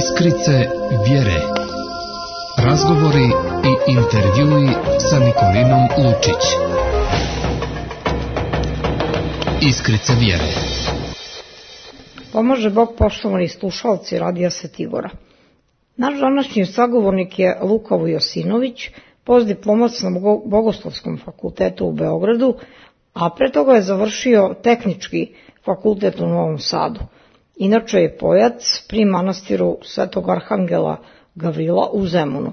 Iskrice vjere. Razgovori i intervjui sa Nikolinom Lučić. Iskrice vjere. Pomaže Bog, poštovani slušalci Radija Svetigora. Naš današnji sagovornik je Luka Vujosinović, postdiplomac na Bogoslovskom fakultetu u Beogradu, a pre toga je završio Tehnički fakultet u Novom Sadu. Inače je pojac pri manastiru Svetog Arhangela Gavrila u Zemunu.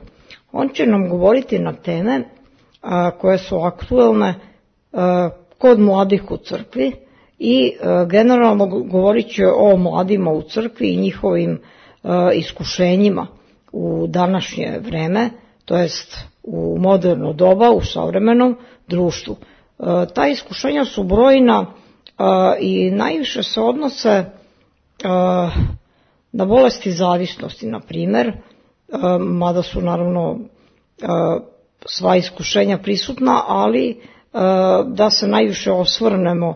On će nam govoriti na teme koje su aktuelne kod mladih u crkvi i generalno govorit će o mladima u crkvi i njihovim iskušenjima u današnje vreme, to jest u moderno doba, u savremenom društvu. Ta iskušenja su brojna i najviše se odnose na bolesti zavisnosti, na primjer, mada su naravno sva iskušenja prisutna, ali da se najviše osvrnemo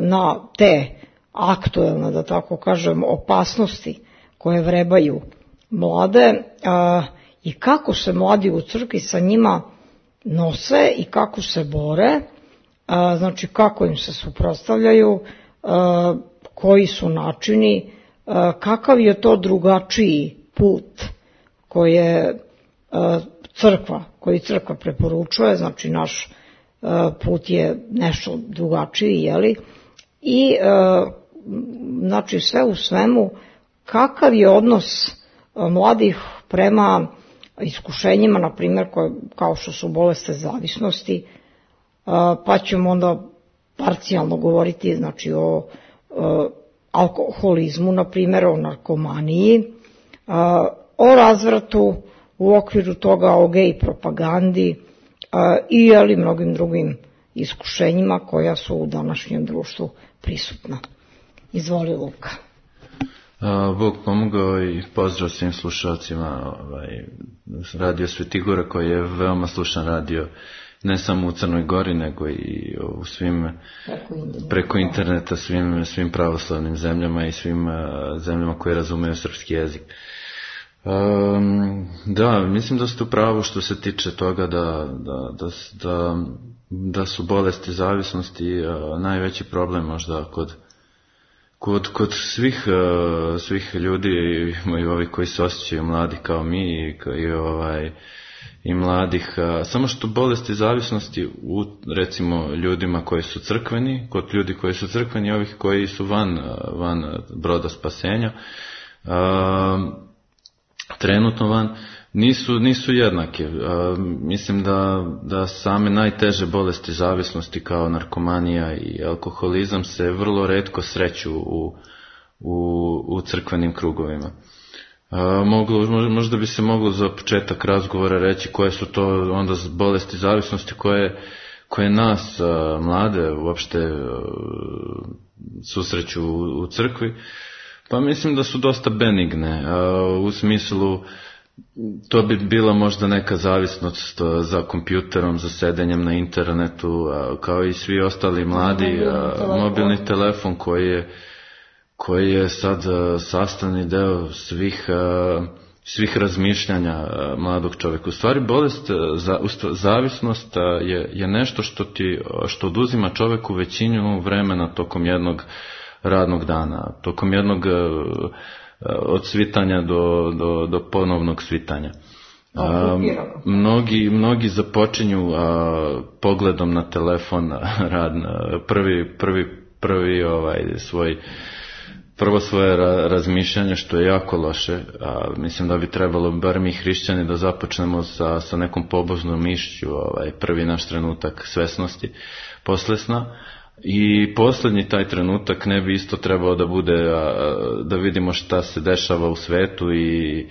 na te aktuelne, da tako kažem, opasnosti koje vrebaju mlade i kako se mladi u crkvi sa njima nose i kako se bore, znači kako im se suprotstavljaju, koji su načini, kakav je to drugačiji put koji crkva preporučuje, znači naš put je nešto drugačiji, jeli? I znači sve u svemu, kakav je odnos mladih prema iskušenjima, na primjer, kao što su bolesti zavisnosti, pa ćemo onda parcijalno govoriti, znači o alkoholizmu, na primjer, o narkomaniji, o razvratu u okviru toga, o gej propagandi i mnogim drugim iskušenjima koja su u današnjem društvu prisutna. Izvoli, Luka. Bog pomogao i pozdrav svim slušalcima Radio Svetigora, koji je veoma slušan radio ne samo u Crnoj Gori, nego i u svim preko interneta, svim pravoslavnim zemljama i svim zemljama koje razumeju srpski jezik. Da, mislim da ste u pravu što se tiče toga da su bolesti zavisnosti najveći problem možda kod svih ljudi i ovih koji se osjećaju mladi kao mi i mladih, samo što bolesti zavisnosti u recimo ljudima koji su crkveni, kod ljudi koji su crkveni i ovih koji su van broda spasenja, trenutno van, nisu jednake. Mislim da same najteže bolesti zavisnosti kao narkomanija i alkoholizam se vrlo retko sreću u crkvenim krugovima. Možda bi se moglo za početak razgovora reći koje su to onda bolesti zavisnosti koje nas mlade uopšte susreću u crkvi. Pa mislim da su dosta benigne, u smislu to bi bila možda neka zavisnost za kompjuterom, za sedenjem na internetu, kao i svi ostali mladi, mobilni telefon koji je sad sastavni deo svih razmišljanja mladog čovjeka. U stvari zavisnost je nešto što oduzima čovjeku većinu vremena tokom jednog radnog dana, tokom jednog od svitanja do ponovnog svitanja. Mnogi započinju pogledom na telefon prvo svoje razmišljanje, što je jako loše. Mislim da bi trebalo, bar mi hrišćani, da započnemo sa nekom pobožnom mišću, prvi naš trenutak svesnosti posle sna. I posljednji taj trenutak ne bi isto trebao da bude da vidimo šta se dešava u svetu i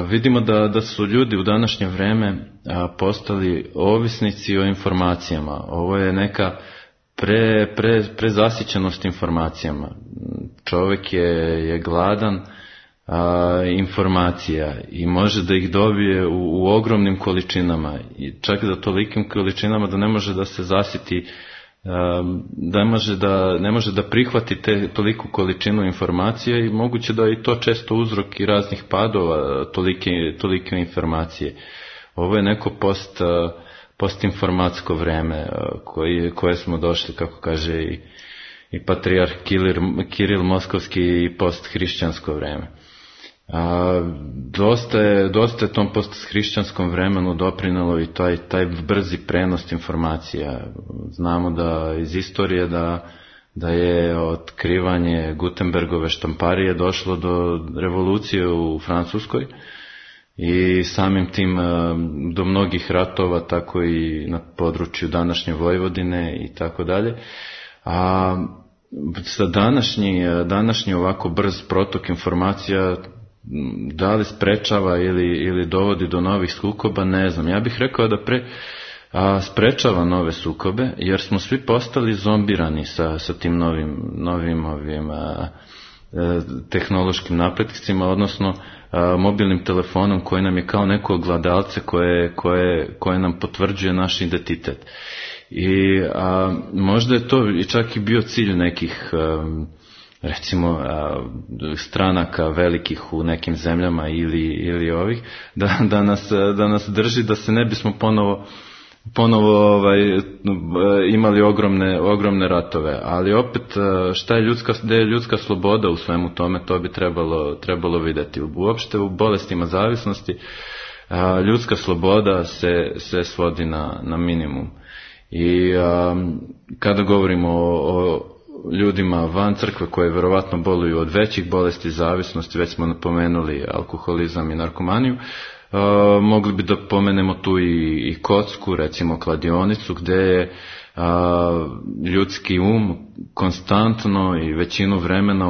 vidimo da su ljudi u današnje vreme postali ovisnici o informacijama. Ovo je neka prezasićenost informacijama. Čovjek je gladan informacija i može da ih dobije u ogromnim količinama i čak da tolikim količinama da ne može da se zasiti ne može da prihvati toliku količinu informacije i moguće da je i to često uzrok i raznih padova tolike informacije. Ovo je neko postinformatsko vreme koje smo došli, kako kaže i patrijarh Kiril Moskovski, i posthrišćansko vreme. Dosta je tom posthrišćanskom vremenu doprinelo i taj brzi prenos informacija. Znamo da iz istorije da je otkrivanje Gutenbergove štamparije došlo do revolucije u Francuskoj i samim tim do mnogih ratova, tako i na području današnje Vojvodine i tako dalje. A sa današnji ovako brz protok informacija da li sprečava ili dovodi do novih sukoba, ne znam. Ja bih rekao da sprečava nove sukobe, jer smo svi postali zombirani sa tim novim tehnološkim napretcima, odnosno mobilnim telefonom koji nam je kao neko ogledalce koje nam potvrđuje naš identitet. I možda je to i čak i bio cilj nekih recimo stranaka velikih u nekim zemljama ili ovih, da nas drži da se ne bismo ponovo imali ogromne ratove. Ali opet, gde je ljudska sloboda u svemu tome, to bi trebalo vidjeti. Uopšte u bolestima zavisnosti ljudska sloboda se svodi na minimum. I kada govorimo o ljudima van crkve koji verovatno boluju od većih bolesti zavisnosti, već smo napomenuli alkoholizam i narkomaniju, mogli bi da pomenemo tu i kocku, recimo kladionicu, gde je ljudski konstantno i većinu vremena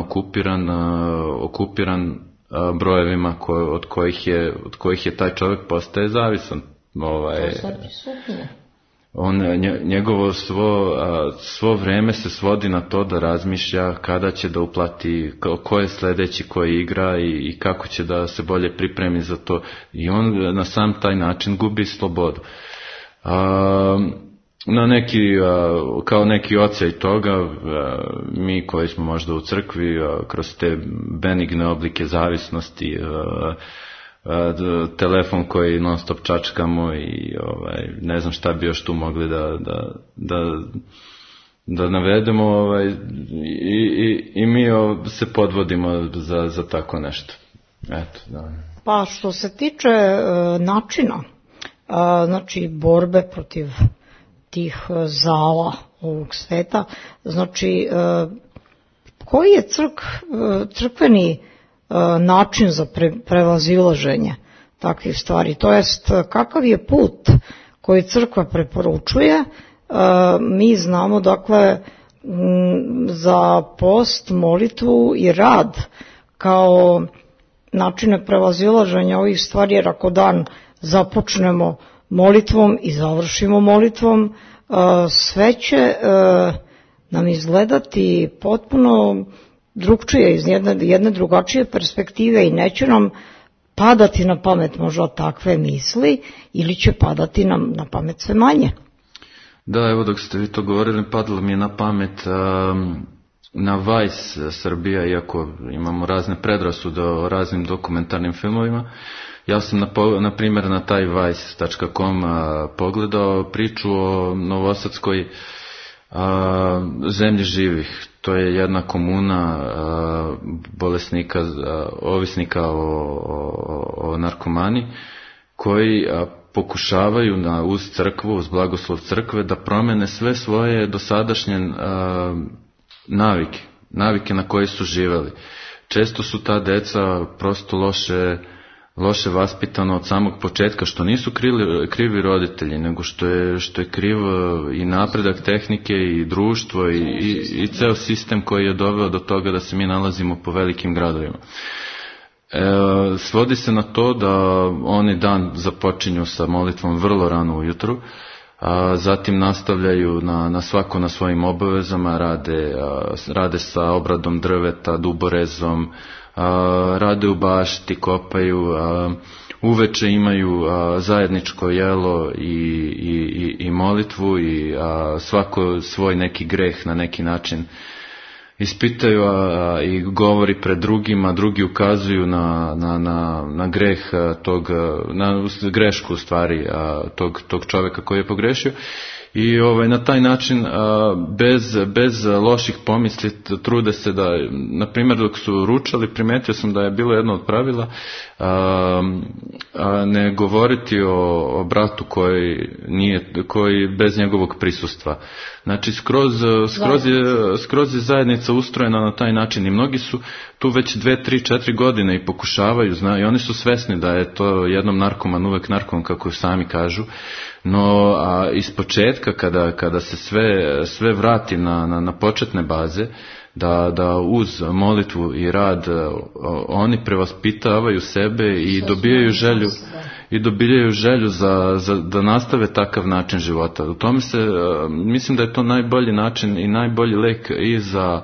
okupiran brojevima od kojih je taj čovjek postaje zavisan. Njegovo svo vreme se svodi na to da razmišlja kada će da uplati, ko je sledeći koji igra i kako će da se bolje pripremi za to, i on na sam taj način gubi slobodu. Kao neki odsjaj toga, mi koji smo možda u crkvi kroz te benigne oblike zavisnosti, telefon koji non stop čačkamo i ne znam šta bi još tu mogli da navedemo, i mi se podvodimo za tako nešto. Eto, da. Pa što se tiče načina, znači borbe protiv tih zala ovog sveta, znači koji je crkveni način za prevazilaženje takvih stvari, to jest kakav je put koji crkva preporučuje. Mi znamo dakle za post, molitvu i rad kao načine prevazilaženja ovih stvari, jer ako dan započnemo molitvom i završimo molitvom, sve će nam izgledati potpuno drugčije, iz jedne drugačije perspektive, i neće nam padati na pamet možda takve misli, ili će padati nam na pamet sve manje. Da, evo dok ste vi to govorili, padalo mi je na pamet na Vice Srbija, iako imamo razne predrasude o raznim dokumentarnim filmovima. Ja sam na primjer na taj vice.com pogledao priču o novosadskoj zemlji živih. To je jedna komuna bolesnika, ovisnika o narkomani, koji pokušavaju uz crkvu, uz blagoslov crkve, da promene sve svoje dosadašnje navike na koje su živeli. Često su ta deca prosto loše vaspitano od samog početka, što nisu krivi roditelji, nego što je kriv i napredak tehnike i društvo i ceo sistem koji je doveo do toga da se mi nalazimo po velikim gradovima. Svodi se na to da oni dan započinju sa molitvom vrlo rano ujutru, a zatim nastavljaju svako na svojim obavezama, rade sa obradom drveta, duborezom, rade u bašti, kopaju, uveče imaju zajedničko jelo i molitvu i svako svoj neki greh na neki način ispitaju i govori pred drugima, drugi ukazuju na greh na grešku u stvari tog čoveka koji je pogrešio. I na taj način bez loših pomisli trude se da, na primjer dok su ručali, primetio sam da je bilo jedno od pravila ne govoriti o bratu koji bez njegovog prisustva. Znači skroz je zajednica ustrojena na taj način i mnogi su tu već 2, 3, 4 godine i pokušavaju, i oni su svesni da je to jednom narkoman uvek narkoman, kako sami kažu. No iz početka kada se sve vrati na početne baze, da uz molitvu i rad oni prevaspitavaju sebe i dobijaju želju da nastave takav način života. U tome mislim da je to najbolji način i najbolji lek i za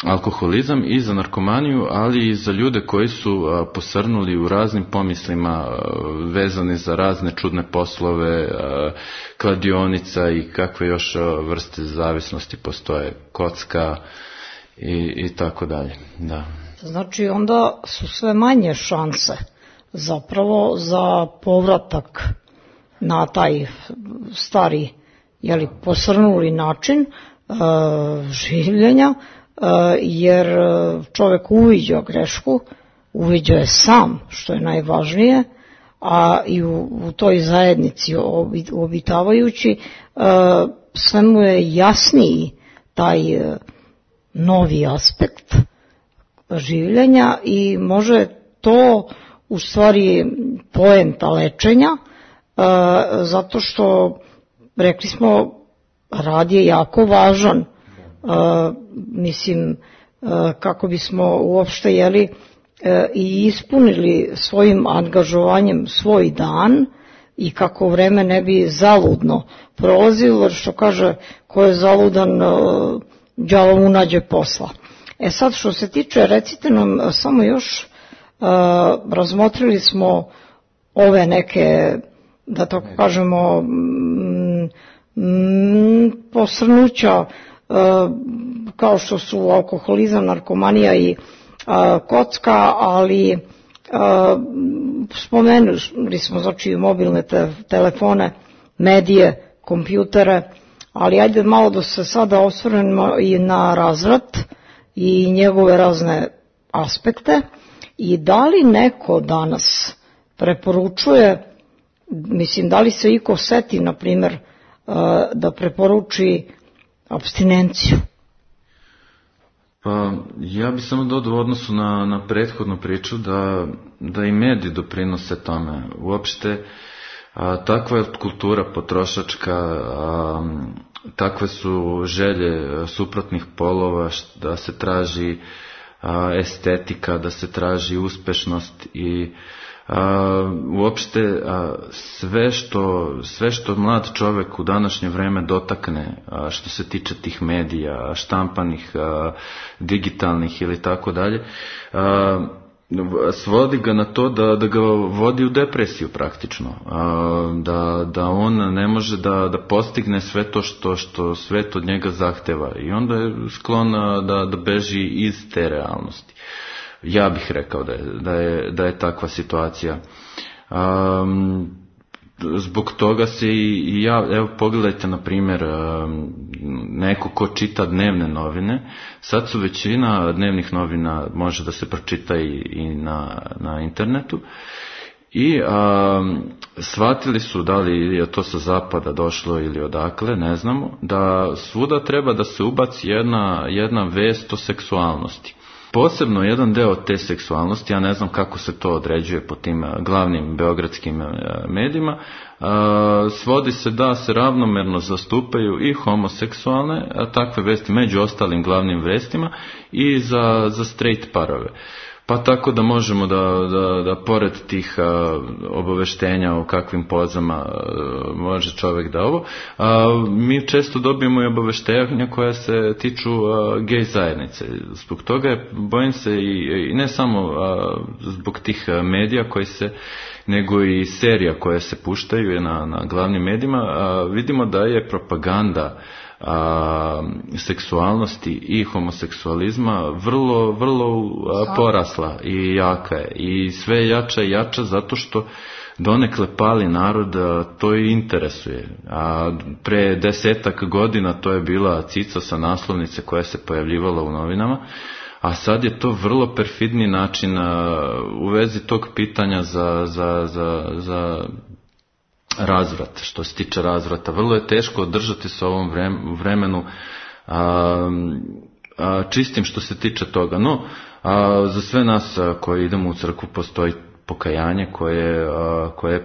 alkoholizam i za narkomaniju, ali i za ljude koji su posrnuli u raznim pomislima vezani za razne čudne poslove, kladionica i kakve još vrste zavisnosti postoje, kocka i tako dalje. Da. Znači onda su sve manje šanse zapravo za povratak na taj stari, posrnuli način življenja, jer čovjek uviđa grešku, uviđa je sam, što je najvažnije, a i u toj zajednici obitavajući, sve mu je jasniji taj novi aspekt življenja i može to u stvari poenta lečenja, zato što, rekli smo, rad je jako važan. Mislim, kako bismo uopšte i ispunili svojim angažovanjem svoj dan i kako vreme ne bi zaludno prolazilo, jer što kaže, ko je zaludan, đavo mu nađe posla. Sad što se tiče, recite nam samo još, razmotrili smo ove neke, da tako kažemo, posrnuća, kao što su alkoholizam, narkomanija i kocka, ali spomenuli smo znači mobilne telefone, medije, kompjutere, ali ajde malo da se sada osvrnemo i na razvrat i njegove razne aspekte i da li neko danas preporučuje, mislim, da li se iko seti, na primjer, da preporuči apstinenciju? Pa ja bih samo dodao u odnosu na prethodnu priču da i mediji doprinose tome. Uopšte takva je kultura potrošačka, takve su želje suprotnih polova, da se traži estetika, da se traži uspešnost i uopšte sve što mlad čovjek u današnje vreme dotakne, što se tiče tih medija, štampanih, digitalnih ili tako dalje, svodi ga na to da ga vodi u depresiju praktično, da on ne može da postigne sve to što svet od njega zahteva i onda je sklon da beži iz te realnosti. Ja bih rekao da je takva situacija. Zbog toga se i ja, evo pogledajte na primjer neko ko čita dnevne novine, sad su većina dnevnih novina može da se pročita i na internetu i shvatili su, da li je to sa zapada došlo ili odakle, ne znamo, da svuda treba da se ubaci jedna vest o seksualnosti. Posebno jedan deo te seksualnosti, ja ne znam kako se to određuje po tim glavnim beogradskim medijima, svodi se da se ravnomerno zastupaju i homoseksualne, takve vesti među ostalim glavnim vestima, i za straight parove. Pa tako da možemo da pored tih obaveštenja o kakvim pozama može čovjek da ovo, mi često dobijemo i obaveštenja koja se tiču gej zajednice. Zbog toga bojim se i ne samo zbog tih medija koji se, nego i serija koje se puštaju na glavnim medijima, vidimo da je propaganda seksualnosti i homoseksualizma vrlo porasla i jaka je. I sve jača i jača zato što donekle pali narod to i interesuje. A pre 10 godina to je bila cica sa naslovnice koja se pojavljivala u novinama, a sad je to vrlo perfidni način u vezi tog pitanja za razvrat. Što se tiče razvrata, vrlo je teško održati se u ovom vremenu čistim što se tiče toga. No, za sve nas koji idemo u crkvu postoji pokajanje koje je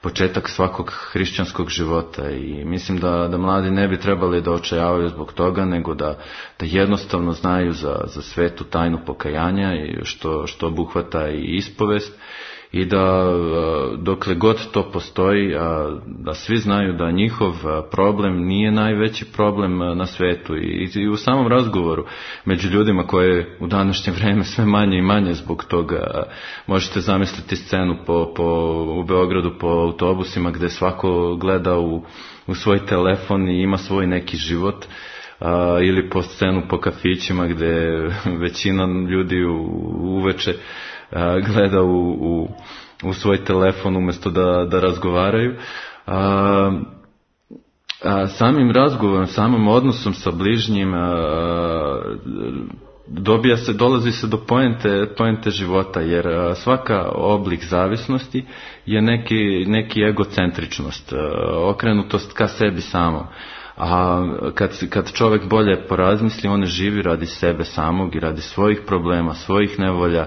početak svakog hrišćanskog života i mislim da mladi ne bi trebali da očajavaju zbog toga, nego da jednostavno znaju za svetu tajnu pokajanja i što obuhvata i ispovest, i da dokle god to postoji, da svi znaju da njihov problem nije najveći problem na svetu i u samom razgovoru među ljudima koje u današnje vreme sve manje i manje zbog toga. Možete zamisliti scenu u Beogradu po autobusima gde svako gleda u svoj telefon i ima svoj neki život, ili po scenu po kafićima gde većina ljudi uveče gleda u svoj telefon umjesto da razgovaraju. Samim razgovorom, samim odnosom sa bližnjim dolazi se do poente života, jer svaka oblik zavisnosti je neki egocentričnost, okrenutost ka sebi samom. A kad čovjek bolje porazmisli, on ne živi radi sebe samog i radi svojih problema, svojih nevolja,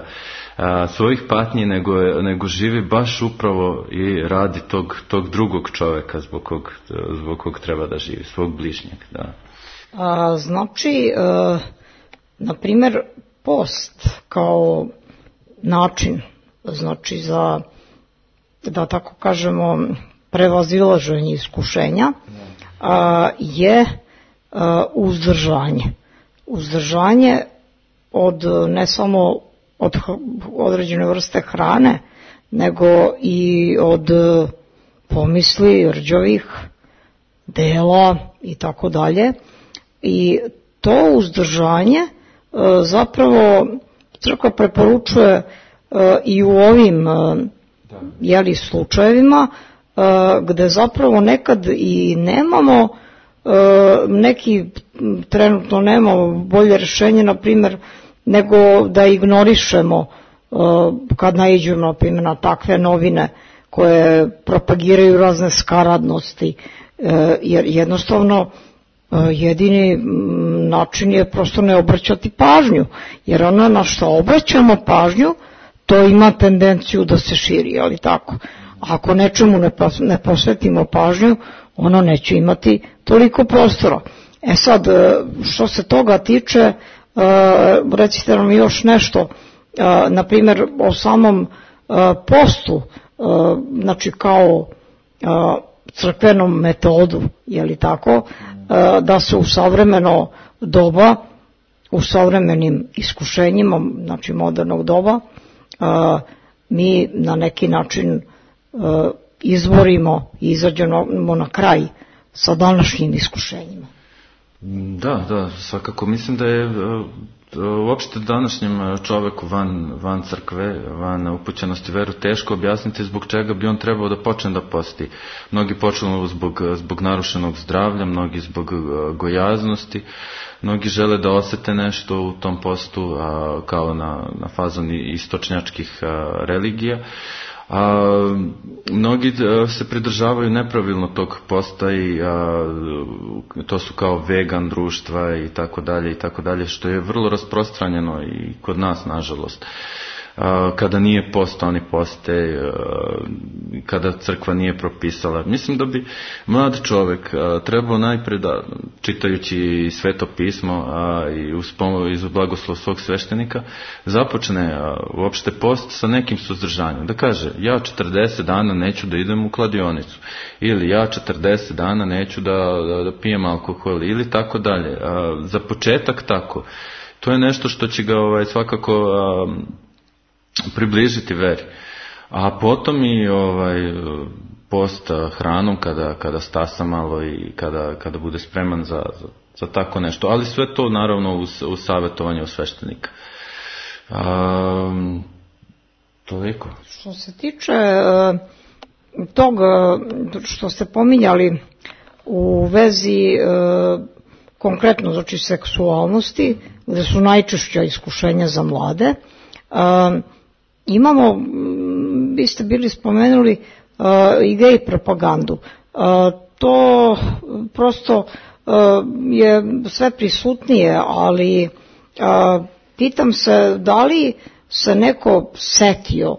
svojih patnji, nego živi baš upravo i radi tog drugog čovjeka zbog kog treba da živi, svog bližnjeg. Da. Znači, na primjer, post kao način, znači za, da tako kažemo, prevazilaženje iskušenja, je uzdržanje. Uzdržanje od ne samo od određene vrste hrane, nego i od pomisli, rđavih dela i tako dalje. I to uzdržanje zapravo crkva preporučuje i u ovim slučajevima gde zapravo nekad i nemamo neki, trenutno nemamo bolje rješenje, na primjer, nego da ignorišemo kad naiđemo, na primjer, na takve novine koje propagiraju razne skaradnosti, jer jednostavno jedini način je prosto ne obraćati pažnju, jer ono na što obraćamo pažnju, to ima tendenciju da se širi, ali tako. Ako nečemu ne posvetimo pažnju, ono neće imati toliko prostora. Sad, što se toga tiče, recite nam još nešto, na primjer o samom postu, znači kao crkvenom metodu, je li tako, da se u savremeno doba, u savremenim iskušenjima, znači modernog doba, mi na neki način izborimo i izađemo na kraj sa današnjim iskušenjima. Da, svakako. Mislim da je uopšte današnjem čoveku van crkve, van upućenosti veru, teško objasniti zbog čega bi on trebao da počne da posti. Mnogi počnu zbog narušenog zdravlja, mnogi zbog gojaznosti, mnogi žele da osete nešto u tom postu kao na fazon istočnjačkih religija. Mnogi se pridržavaju nepravilno tog posta i to su kao vegan društva i tako dalje, što je vrlo rasprostranjeno i kod nas, nažalost. kada nije post, oni poste, kada crkva nije propisala. Mislim da bi mlad čovjek trebao najprije da, čitajući Sveto pismo i uz blagoslov svog sveštenika, započne uopšte post sa nekim suzdržanjem. Da kaže, ja 40 dana neću da idem u kladionicu, ili ja 40 dana neću da pijem alkohol, ili tako dalje. Za početak tako. To je nešto što će ga svakako približiti veri. A potom i post hranom kada stasa malo i kada bude spreman za tako nešto. Ali sve to naravno uz savjetovanje sveštenika. Toliko. Što se tiče tog što ste pominjali u vezi konkretno znači seksualnosti, gde su najčešća iskušenja za mlade, imamo, vi ste bili spomenuli i gej propagandu. To prosto je sve prisutnije, ali pitam se da li se neko setio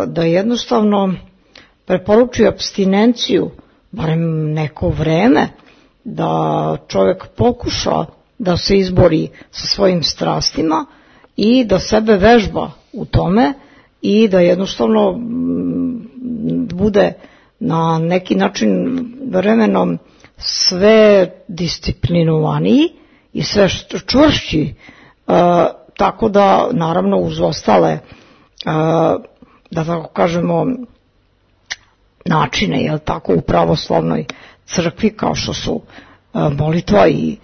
da jednostavno preporuči apstinenciju, barem neko vreme, da čovjek pokuša da se izbori sa svojim strastima i da sebe vežba u tome i da jednostavno bude na neki način vremenom sve disciplinovaniji i sve čvršći, tako da naravno uz ostale, da tako kažemo, načine, jel tako, u pravoslavnoj crkvi kao što su molitva i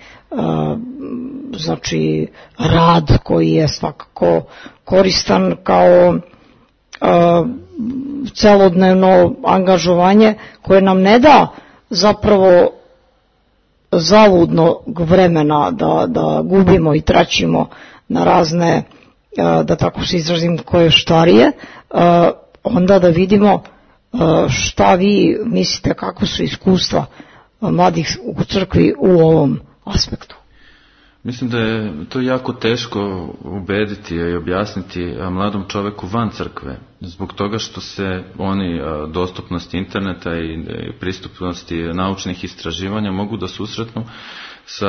znači rad koji je svakako koristan kao celodnevno angažovanje koje nam ne da zapravo zaludnog vremena da gubimo i traćimo na razne, da tako se izrazim, koje štarije, onda da vidimo šta vi mislite, kako su iskustva mladih u crkvi u ovom aspektu. Mislim da je to jako teško ubediti i objasniti mladom čoveku van crkve, zbog toga što se oni dostupnosti interneta i pristupnosti naučnih istraživanja mogu da susretnu sa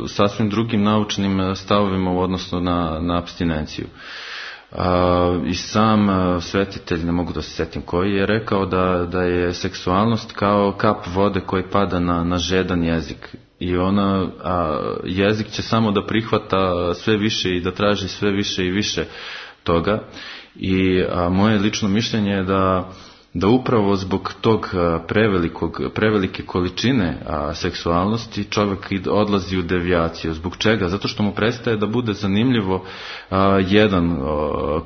sasvim drugim naučnim stavovima u odnosu na apstinenciju. I sam svetitelj, ne mogu da se setim koji, je rekao da je seksualnost kao kap vode koji pada na žedan jezik. I jezik će samo da prihvata sve više i da traži sve više i više toga. I moje lično mišljenje je da upravo zbog tog prevelike količine seksualnosti čovjek odlazi u devijaciju. Zbog čega? Zato što mu prestaje da bude zanimljivo jedan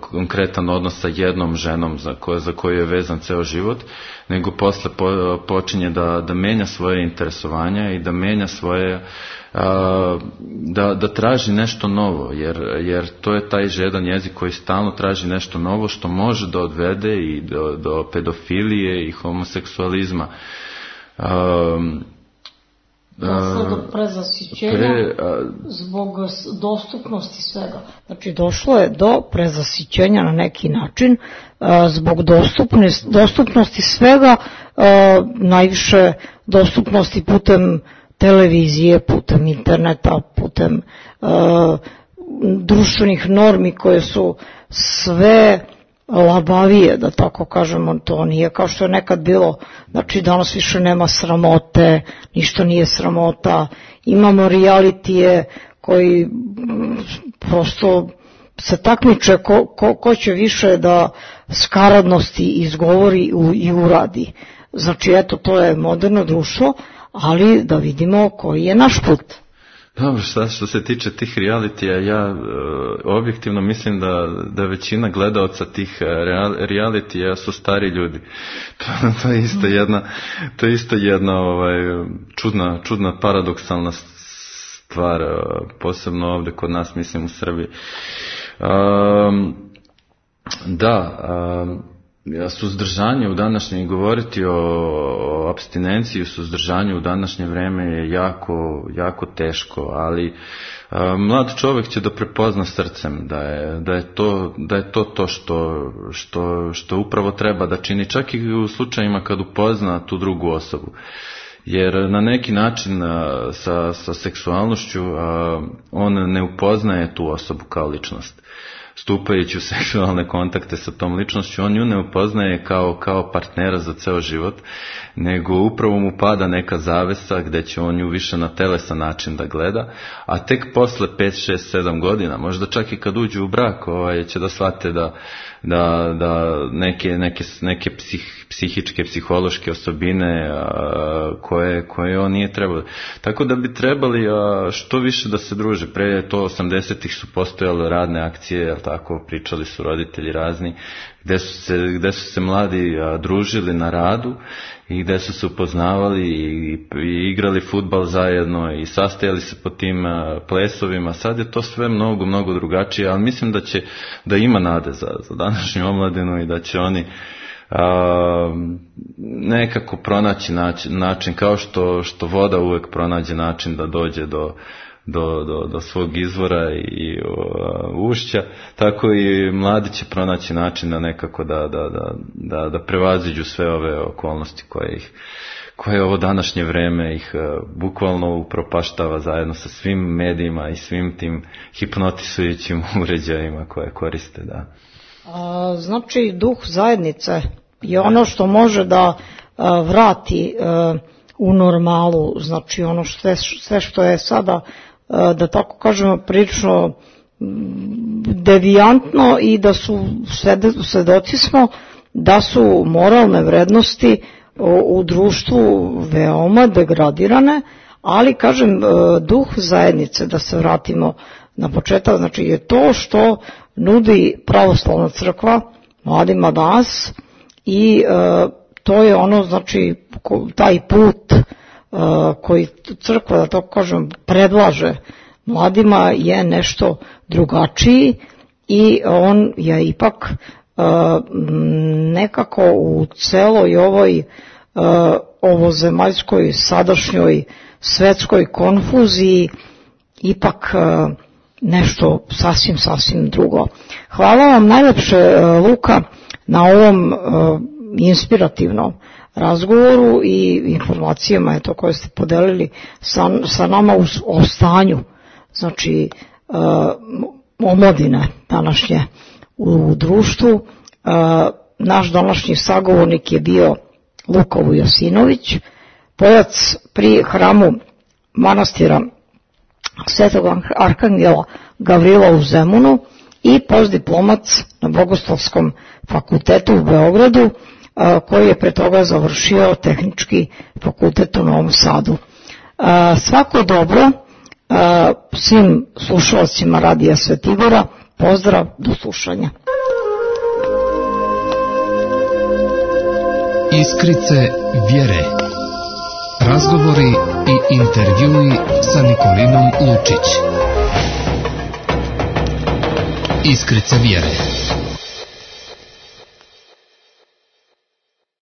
konkretan odnos sa jednom ženom za koju je vezan ceo život, nego posle počinje da menja svoje interesovanja i da menja svoje, da traži nešto novo, jer to je taj žedan jezik koji stalno traži nešto novo što može da odvede i do pedofilije i homoseksualizma. Došlo do prezasićenja zbog dostupnosti svega. Znači došlo je do prezasićenja na neki način zbog dostupnosti svega, najviše dostupnosti putem televizije, putem interneta, putem društvenih normi koje su sve labavije, da tako kažemo. To nije kao što je nekad bilo, znači danas više nema sramote, ništa nije sramota, imamo realitije koji prosto se takmiče ko će više da skaradnosti izgovori i uradi. Znači eto, to je moderno društvo, ali da vidimo koji je naš put. Dobro, što se tiče tih realitija, ja objektivno mislim da većina gledaoca tih realitija su stari ljudi. To je isto jedna čudna paradoksalna stvar, posebno ovdje kod nas, mislim u Srbiji. suzdržanje u današnje, govoriti o apstinenciji, suzdržanju u današnje vreme je jako teško, ali mlad čovjek će da prepozna srcem da je to što upravo treba da čini, čak i u slučajima kad upozna tu drugu osobu. Jer na neki način sa seksualnošću on ne upoznaje tu osobu kao ličnost. Stupajući u seksualne kontakte sa tom ličnošću, on nju ne upoznaje kao partnera za ceo život, nego upravo mu pada neka zavesa gde će on nju više na telesan način da gleda, a tek posle 5, 6, 7 godina, možda čak i kad uđu u brak, će da shvate da neke psihičke, psihološke osobine koje on nije trebao. Tako da bi trebali što više da se druže. Pre to 80-ih su postojale radne akcije, tako pričali su roditelji razni, gde su se mladi družili na radu i gde su se upoznavali i igrali fudbal zajedno i sastajali se po tim plesovima. Sad je to sve mnogo drugačije, ali mislim da ima nade za današnju omladinu i da će oni nekako pronaći način, kao što voda uvek pronađe način da dođe do svog izvora i ušća, tako i mladi će pronaći način da nekako da prevaziđu sve ove okolnosti koje ovo današnje vreme ih bukvalno upropaštava zajedno sa svim medijima i svim tim hipnotisujućim uređajima koje koriste. Da. Znači, duh zajednice je ono što može da vrati u normalu, znači ono sve što je sada, da tako kažemo, prilično devijantno i da su svedoci smo da su moralne vrednosti u društvu veoma degradirane, ali kažem, duh zajednice, da se vratimo na početak, znači je to što nudi pravoslavna crkva mladima danas i to je ono, znači taj put koji crkva, da tako kažem, predlaže mladima je nešto drugačiji i on je ipak nekako u celoj ovozemaljskoj sadašnjoj svetskoj konfuziji ipak nešto sasvim drugo. Hvala vam najlepše, Luka, na ovom inspirativnom razgovoru i informacijama koje ste podelili sa nama o stanju, znači omladine današnje u društvu. Naš današnji sagovornik je bio Luka Vujosinović, pojac pri hramu manastira Svetog Arhangela Gavrila u Zemunu i postdiplomac na Bogoslovskom fakultetu u Beogradu, koji je pre toga završio Tehnički fakultet u Novom Sadu. Svako dobro svim slušalcima Radija Svetigora, pozdrav, do slušanja. Iskrice vjere. Razgovori i intervjui sa Nikolinom Lučić. Iskrice vjere.